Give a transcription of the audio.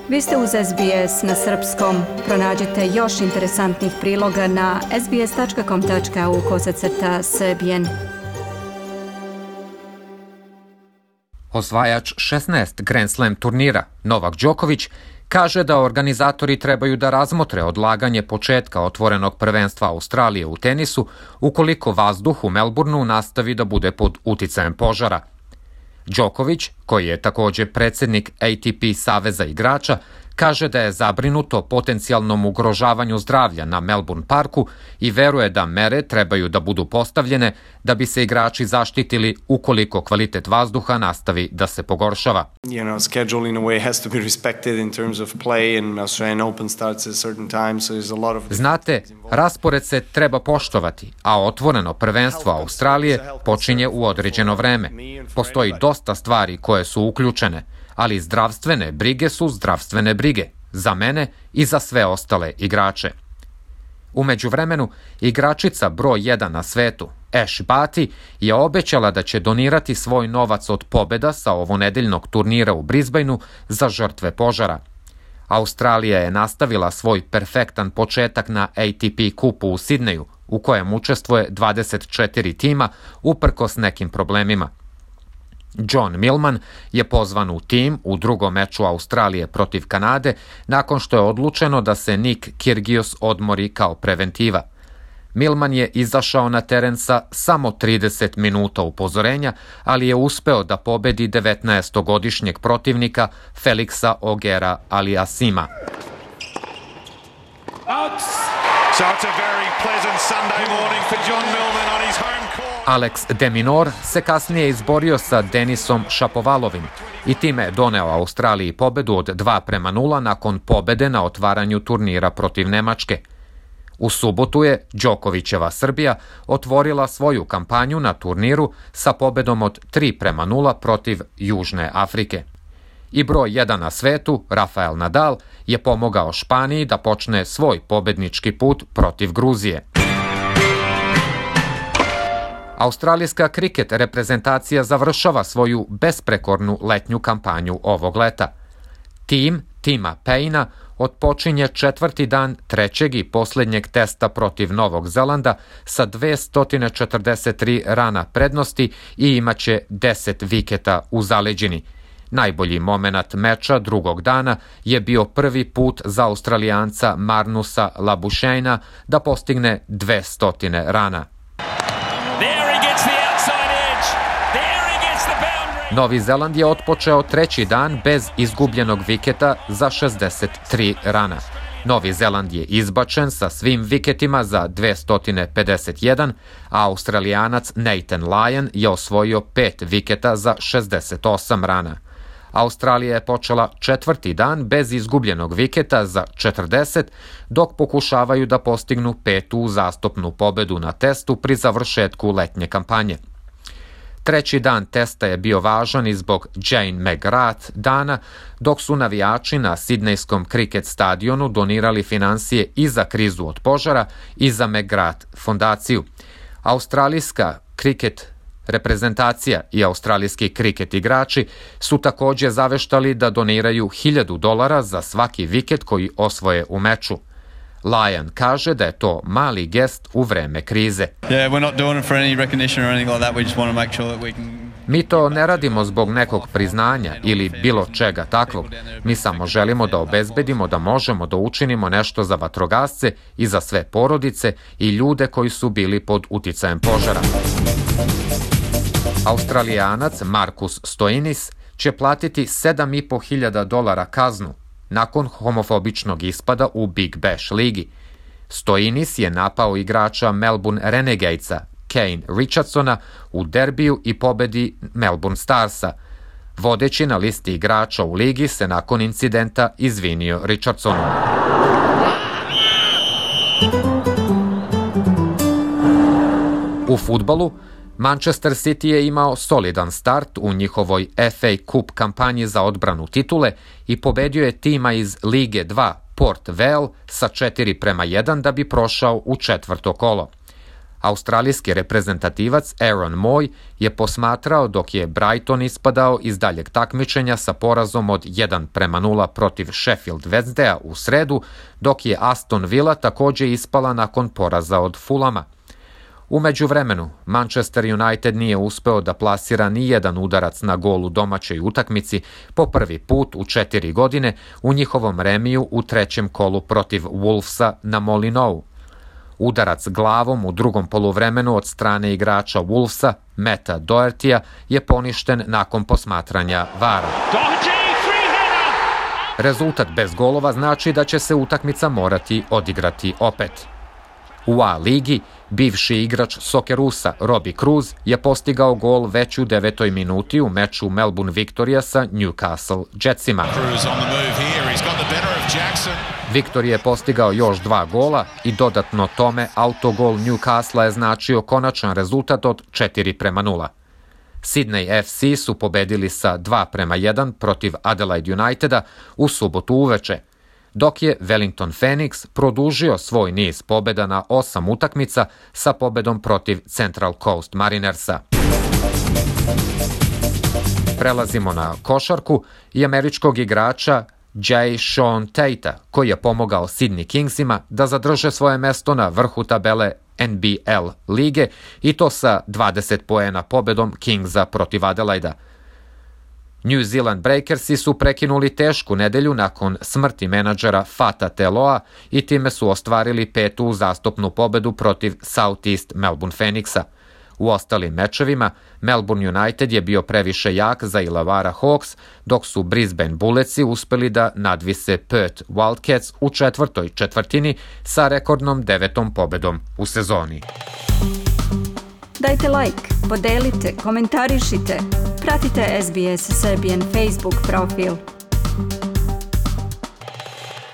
Vi ste uz SBS na srpskom. Pronađite još interesantnih priloga na sbs.com.au/srbijen. Osvajač 16 Grand Slam turnira, Novak Đoković, kaže da organizatori trebaju da razmotre odlaganje početka otvorenog prvenstva Australije u tenisu ukoliko vazduh u Melbourneu nastavi da bude pod uticajem požara. Đoković, koji je također predsjednik ATP saveza igrača, kaže da je zabrinuto potencijalnom ugrožavanju zdravlja na Melbourne parku i veruje da mere trebaju da budu postavljene da bi se igrači zaštitili ukoliko kvalitet vazduha nastavi da se pogoršava. Znate, raspored se treba poštovati, a otvoreno prvenstvo Australije počinje u određeno vreme. Postoji dosta stvari koje su uključene, ali zdravstvene brige su zdravstvene brige, za mene i za sve ostale igrače. U međuvremenu, igračica broj 1 na svetu, Ash Barty, je obećala da će donirati svoj novac od pobjeda sa ovonedeljnog turnira u Brisbaneu za žrtve požara. Australija je nastavila svoj perfektan početak na ATP kupu u Sidneju, u kojem učestvuje 24 tima uprkos nekim problemima. John Millman je pozvan u tim u drugom meču Australije protiv Kanade nakon što je odlučeno da se Nick Kyrgios odmori kao preventiva. Millman je izašao na teren sa samo 30 minuta upozorenja, ali je uspeo da pobedi 19-godišnjeg protivnika Felixa Ogera Aliassima. So it's a very pleasant Sunday morning for John Millman on his home court. Alex de Minaur se kasnije izborio sa Denisom Šapovalovim i time doneo Australiji pobedu od 2-0 nakon pobede na otvaranju turnira protiv Nemačke. U subotu je Đokovićeva Srbija otvorila svoju kampanju na turniru sa pobedom od 3-0 protiv Južne Afrike. I broj 1 na svetu, Rafael Nadal, je pomogao Španiji da počne svoj pobednički put protiv Gruzije. Australijska kriket reprezentacija završava svoju besprekornu letnju kampanju ovog leta. Tim Tima Payna otpočinje 4. dan trećeg i posljednjeg testa protiv Novog Zelanda sa 243 rana prednosti i imaće 10 viketa u zaleđini. Najbolji momenat meča drugog dana je bio prvi put za Australijanca Marnusa Labušejna da postigne 200 rana. Novi Zeland je otpočeo treći dan bez izgubljenog viketa za 63 rana. Novi Zeland je izbačen sa svim viketima za 251, a Australijanac Nathan Lyon je osvojio 5 viketa za 68 rana. Australija je počela četvrti dan bez izgubljenog viketa za 40, dok pokušavaju da postignu 5. uzastopnu pobedu na testu pri završetku letnje kampanje. Treći dan testa je bio važan i zbog Jane McGrath dana, dok su navijači na Sidnejskom kriket stadionu donirali financije i za krizu od požara i za McGrath fondaciju. Australijska kriket reprezentacija i australijski kriket igrači su također zaveštali da doniraju $1000 za svaki viket koji osvoje u meču. Lyon kaže da je to mali gest u vreme krize. Mi to ne radimo zbog nekog priznanja ili bilo čega takvog. Mi samo želimo da obezbedimo da možemo da učinimo nešto za vatrogasce i za sve porodice i ljude koji su bili pod uticajem požara. Australijanac Marcus Stoinis će platiti $7.500 kaznu nakon homofobičnog ispada u Big Bash ligi. Stoinis je napao igrača Melbourne Renegadesa Kane Richardsona u derbiju i pobedi Melbourne Starsa. Vodeći na listi igrača u ligi se nakon incidenta izvinio Richardsonu. U fudbalu, Manchester City je imao solidan start u njihovoj FA Cup kampanji za odbranu titule i pobedio je tima iz Lige 2 Port Vale sa 4-1 da bi prošao u četvrto kolo. Australijski reprezentativac Aaron Moy je posmatrao dok je Brighton ispadao iz daljeg takmičenja sa porazom od 1:0 protiv Sheffield Wednesdaya u sredu, dok je Aston Villa također ispala nakon poraza od Fulama. U međuvremenu, Manchester United nije uspeo da plasira ni jedan udarac na gol u domaćoj utakmici po prvi put u 4 godine u njihovom remiju u trećem kolu protiv Wolvesa na Molineux. Udarac glavom u drugom poluvremenu od strane igrača Wolvesa, Matta Dohertya, je poništen nakon posmatranja VAR-a. Rezultat bez golova znači da će se utakmica morati odigrati opet. U A ligi, bivši igrač Soccerusa Robbie Cruz je postigao gol već u 9. minuti u meču Melbourne Victoria sa Newcastle Jetsima. Victor je postigao još 2 gola i dodatno tome autogol Newcastle je značio konačan rezultat od 4:0. Sydney FC su pobedili sa 2:1 protiv Adelaide Uniteda u subotu uveče, dok je Wellington Phoenix produžio svoj niz pobjeda na 8 utakmica sa pobedom protiv Central Coast Marinersa. Prelazimo na košarku i američkog igrača Jae'Sean Tatea, koji je pomogao Sydney Kingsima da zadrže svoje mesto na vrhu tabele NBL lige i to sa 20 poena pobedom Kingsa protiv Adelaida. New Zealand Breakersi su prekinuli tešku nedelju nakon smrti menadžera Fata Teloa i time su ostvarili 5. uzastopnu pobedu protiv Southeast Melbourne Phoenixa. U ostalim mečevima, Melbourne United je bio previše jak za Illawarra Hawks, dok su Brisbane Bulletsi uspeli da nadvise Perth Wildcats u 4. četvrtini sa rekordnom 9. pobedom u sezoni. Dajte like, podelite, komentarišite, pratite SBS Serbian Facebook profil.